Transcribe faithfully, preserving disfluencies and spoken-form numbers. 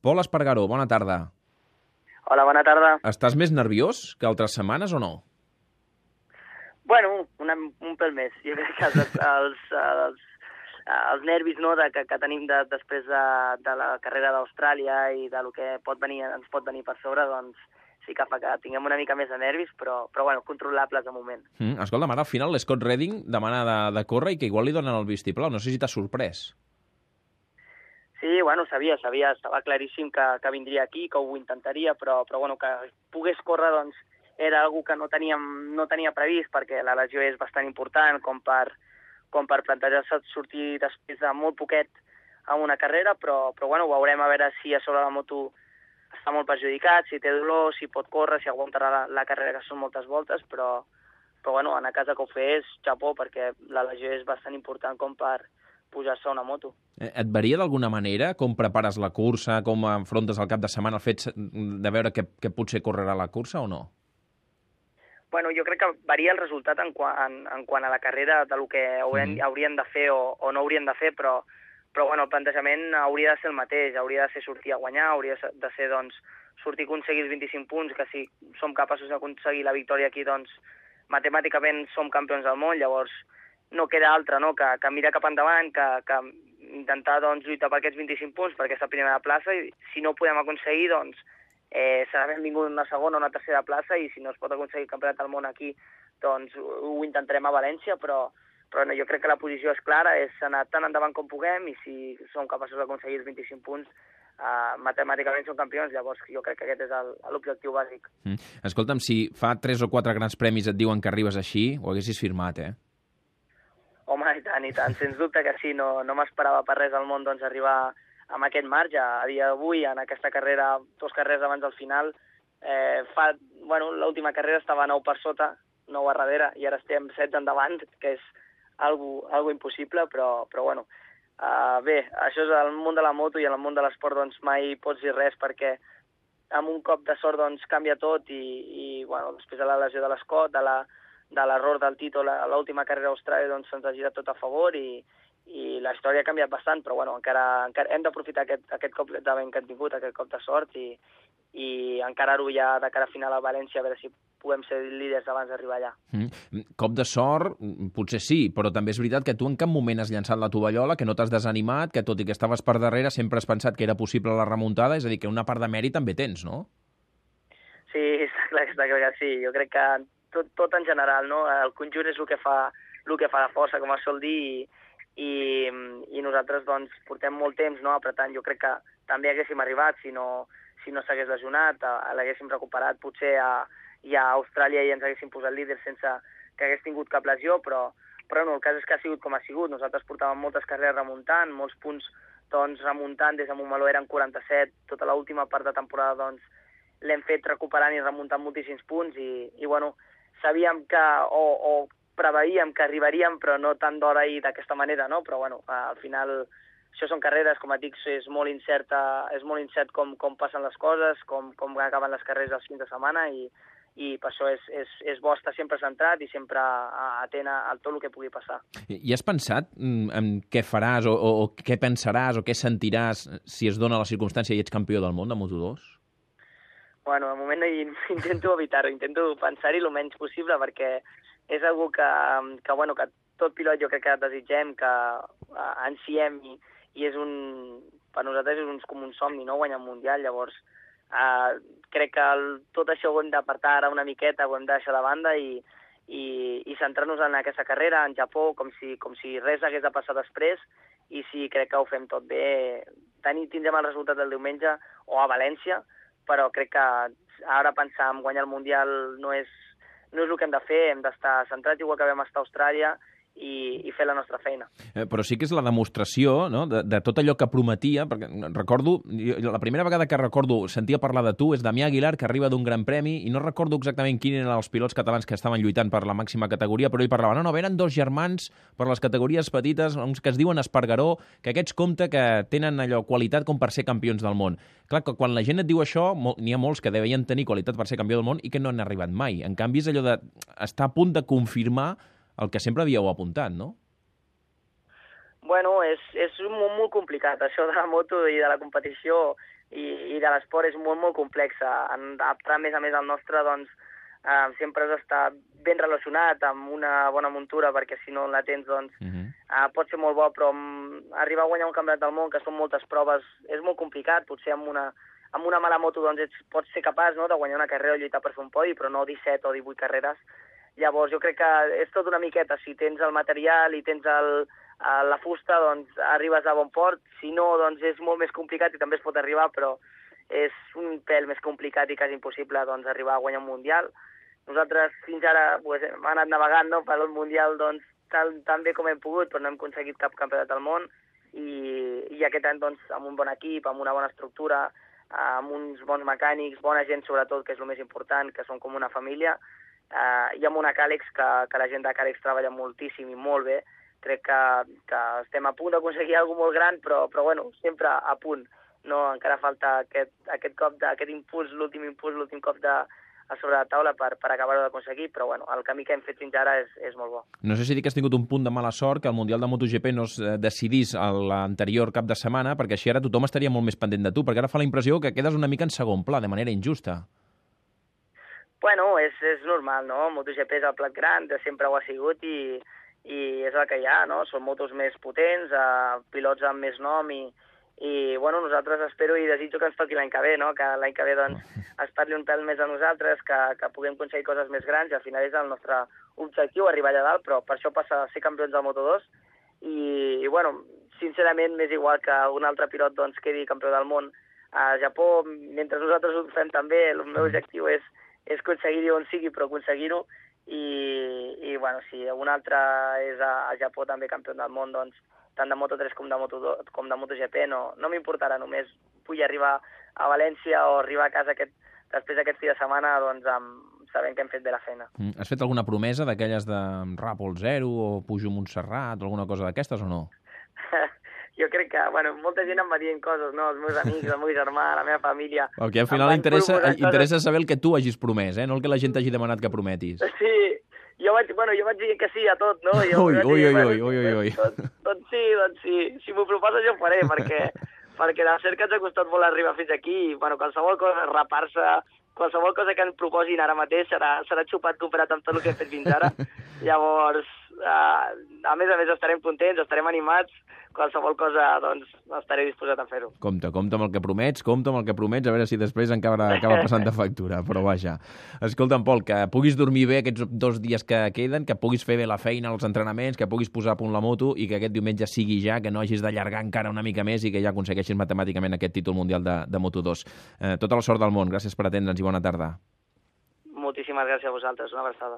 Pol Espargaró, bona tarda. Hola, bona tarda. Estàs més nerviós que altres setmanes o no? Bueno, una, un pèl més. Jo crec que els, els, els, els nervis no, de, que, que tenim de, després de, de la carrera d'Austràlia i de lo que pot venir, ens pot venir per sobre, doncs sí que fa que tinguem una mica més de nervis, però, però bueno, controlables de moment. Mm, escolta, ara al final l'Scott Redding demana de, de córrer i que igual li donen el vistiplau. No sé si t'ha sorprès. Sí, bueno, sabia, sabia, estava claríssim que, que vindria aquí, que ho intentaria, però, però bueno, que pogués córrer, doncs, era algo que no teníem, no tenia previst, perquè la lesió és bastant important com per, com per plantejar-se sortir després de molt poquet a una carrera, però, però bueno, veurem a veure si a sobre la moto està molt perjudicat, si té dolor, si pot córrer, si aguantarà la, la carrera, que són moltes voltes, però, però bueno, en a casa que ho fes, xapó, perquè la lesió és bastant important com per pujar-se a una moto. Et varia d'alguna manera com prepares la cursa, com enfrontes el cap de setmana el fet de veure que, que potser correrà la cursa o no? Bueno, jo crec que varia el resultat en, qua, en, en quant a la carrera de lo que haurien, mm. haurien de fer o, o no haurien de fer, però, però bueno, el plantejament hauria de ser el mateix, hauria de ser sortir a guanyar, hauria de ser doncs, sortir a aconseguir els vint-i-cinc punts, que si som capaços d'aconseguir la victòria aquí, doncs matemàticament som campions del món, llavors no queda altra, no?, que, que mirar cap endavant, que, que intentar doncs, lluitar per aquests vint-i-cinc punts, per aquesta primera plaça, i si no ho podem aconseguir, doncs eh, serà benvingut una segona o una tercera plaça, i si no es pot aconseguir el campionat del món aquí, doncs ho, ho intentarem a València, però, però no, jo crec que la posició és clara, és anar tan endavant com puguem, i si som capaços d'aconseguir els vint-i-cinc punts, Uh, matemàticament són campions, llavors jo crec que aquest és l'objectiu bàsic. Mm. Escolta'm, si fa tres o quatre grans premis et diuen que arribes així, ho haguessis firmat, eh? Home, i tant, i tant, sens dubte que sí, no, no m'esperava per res al món doncs, arribar amb aquest marge. A dia d'avui, en aquesta carrera, dos carreres abans del final, eh, fa, bueno, l'última carrera estava nou per sota, nou a darrere, i ara estem setze endavant, que és algo, algo impossible, però, però bueno, Uh, bé, això és el món de la moto, i en el món de l'esport doncs mai pots dir res, perquè amb un cop de sort doncs canvia tot, i, i bueno, després de la lesió de l'Scott, de la, de l'error del Tito a l'última carrera d'Austràlia, doncs se'ns ha girat tot a favor, i, i la història ha canviat bastant, però bueno, encara, encara hem d'aprofitar aquest, aquest cop de vent que hem tingut, aquest cop de sort, i, i encarar-ho ja de cara a final a València, a veure si podem ser líders abans d'arribar allà. Mm. Cop de sort, potser sí, però també és veritat que tu en cap moment has llançat la tovallola, que no t'has desanimat, que tot i que estaves per darrere sempre has pensat que era possible la remuntada, és a dir, que una part de mèrit també tens, no? Sí, està clar, està clar que sí. Jo crec que tot, tot en general, no? El conjunt és el que fa, el que fa la força, com es sol dir, i, i, i nosaltres doncs, portem molt temps, no?, apretant. Jo crec que també haguéssim arribat si no, si no s'hagués lesionat, l'haguéssim recuperat potser a i a Austràlia i ens haguéssim posat líders sense que hagués tingut cap lesió, però, però no, el cas és que ha sigut com ha sigut. Nosaltres portàvem moltes carreres remuntant, molts punts doncs, remuntant, des de Montmeló eren quaranta-set, tota l'última part de temporada doncs, l'hem fet recuperant i remuntant moltíssims punts, i, i bueno, sabíem que, o, o preveíem que arribaríem, però no tant d'hora i d'aquesta manera, no? Però bueno, al final això són carreres, com et dic, és molt incerta, és molt incert com, com passen les coses, com, com acaben les carreres els fins de setmana, i i per això és, és, és bo estar sempre centrat i sempre atent a, a tot el que pugui passar. I has pensat en què faràs o, o, o què pensaràs o què sentiràs si es dona la circumstància i ets campió del món de Moto dos? Bueno, de moment intento evitar-ho, intento pensar-hi el menys possible, perquè és algo que, que, bueno, que tot pilot jo crec que desitgem, que ansiem, i, i és un, per nosaltres és un, com un somni, no?, guanyar un mundial. Llavors Uh, crec que el, tot això ho hem d'apartar ara una miqueta, ho hem de deixar de banda i, i, i centrar-nos en aquesta carrera, en Japó, com si, com si res hagués de passar després, i si crec que ho fem tot bé, tenir, tindrem el resultat del diumenge o a València, però crec que ara pensar en guanyar el Mundial no és, no és el que hem de fer, hem d'estar centrats igual que vam estar a Austràlia, I, i fer la nostra feina. Eh, però sí que és la demostració, no?, de, de tot allò que prometia, perquè recordo, jo, la primera vegada que recordo sentia parlar de tu és Damià Aguilar, que arriba d'un gran premi, i no recordo exactament quin eren els pilots catalans que estaven lluitant per la màxima categoria, però ell parlava, no, no, eren dos germans per les categories petites, uns que es diuen Espargaró, que aquests compte que tenen allò qualitat com per ser campions del món. Clar, que quan la gent et diu això, n'hi ha molts que deien tenir qualitat per ser campió del món i que no han arribat mai. En canvi, és allò de estar a punt de confirmar el que sempre havíeu apuntat, no? Bueno, és, és molt, molt complicat, això de la moto i de la competició, i, sigui, de l'esport és molt, molt complex. Adaptar, a més a més, el nostre, doncs, eh, sempre has d'estar ben relacionat amb una bona muntura, perquè si no la tens, doncs, uh -huh. eh, pot ser molt bo, però arribar a guanyar un campionat del món, que són moltes proves, és molt complicat. Potser amb una, amb una mala moto, doncs, ets, pots ser capaç, no?, de guanyar una carrera o lluitar per fer un podi, però no disset o divuit carreres. Llavors, jo crec que és tot una miqueta. Si tens el material i tens el, la fusta, doncs arribes a bon port. Si no, doncs és molt més complicat i també es pot arribar, però és un pèl més complicat i quasi impossible, doncs, arribar a guanyar un mundial. Nosaltres fins ara pues, hem anat navegant, no?, per el mundial, doncs, tan, tan bé com hem pogut, però no hem aconseguit cap campionat del món, i, i aquest any, doncs, amb un bon equip, amb una bona estructura, amb uns bons mecànics, bona gent sobretot, que és el més important, que són com una família, Uh, i amb una Càlex que, que la gent de Càlex treballa moltíssim i molt bé. Crec que, que estem a punt d'aconseguir alguna cosa molt gran, però, però bueno, sempre a punt. No, encara falta aquest, aquest cop de, aquest impuls, l'últim impuls, l'últim cop de, a sobre la taula per, per acabar-ho d'aconseguir, però bueno, el camí que hem fet fins ara és, és molt bo. No sé si dir que has tingut un punt de mala sort que el Mundial de MotoGP no es decidís l'anterior cap de setmana, perquè així ara tothom estaria molt més pendent de tu, perquè ara fa la impressió que quedes una mica en segon pla, de manera injusta. Bueno, és, és normal, no? MotoGP és el plat gran, sempre ho ha sigut i, i és el que hi ha, no? Són motos més potents, eh, pilots amb més nom i, i bueno, nosaltres espero i desitjo que ens toqui l'any que ve, no? Que l'any que ve doncs, es parli un pèl més a nosaltres, que, que puguem aconseguir coses més grans i al final és el nostre objectiu, arribar allà dalt, però per això passa a ser campions del Moto dos i, i bueno, sincerament m'és igual que un altre pilot doncs, quedi campió del món a Japó, mentre nosaltres ho fem també, el meu objectiu és és aconseguir-hi on sigui, però aconseguir-ho, i, i bueno, si un altre és a, a Japó també campió del món, doncs, tant de Moto tres com de Moto dos, com de MotoGP, no, no m'importarà, només vull arribar a València o arribar a casa aquest, després d'aquest fi de setmana, doncs, amb, sabent que hem fet bé la feina. Mm. Has fet alguna promesa d'aquelles de Ràpol zero o pujo a Montserrat o alguna cosa d'aquestes o no? Jo crec que, bueno, molta gent em va dient coses, no? Els meus amics, el meu germà, la meva família... El que al final interessa, interessa saber el que tu hagis promès, eh? No el que la gent t'hagi demanat que prometis. Sí, jo vaig, bueno, jo vaig dir que sí a tot, no? Jo ui, ui, dir, ui, bueno, ui, ui, ui, ui. Doncs, doncs sí, doncs sí. Si m'ho proposes jo ho faré, perquè, perquè de cert que ens ha costat molt arribar fins aquí i, bueno, qualsevol cosa, rapar-se, qualsevol cosa que ens proposin ara mateix serà, serà xupat comparat amb tot el que hem fet fins ara. Llavors, uh, a més a més estarem contents, estarem animats, qualsevol cosa, doncs, estaré disposat a fer-ho. Compte, compte amb el que promets, compte amb el que promets, a veure si després encara acaba passant de factura, però vaja. Escolta'm, Pol, que puguis dormir bé aquests dos dies que queden, que puguis fer bé la feina, els entrenaments, que puguis posar a punt la moto i que aquest diumenge sigui ja, que no hagis d'allargar encara una mica més i que ja aconsegueixis matemàticament aquest títol mundial de, de Moto dos. Eh, tota la sort del món, gràcies per atendre'ns i bona tarda. Moltíssimes gràcies a vosaltres, una abraçada.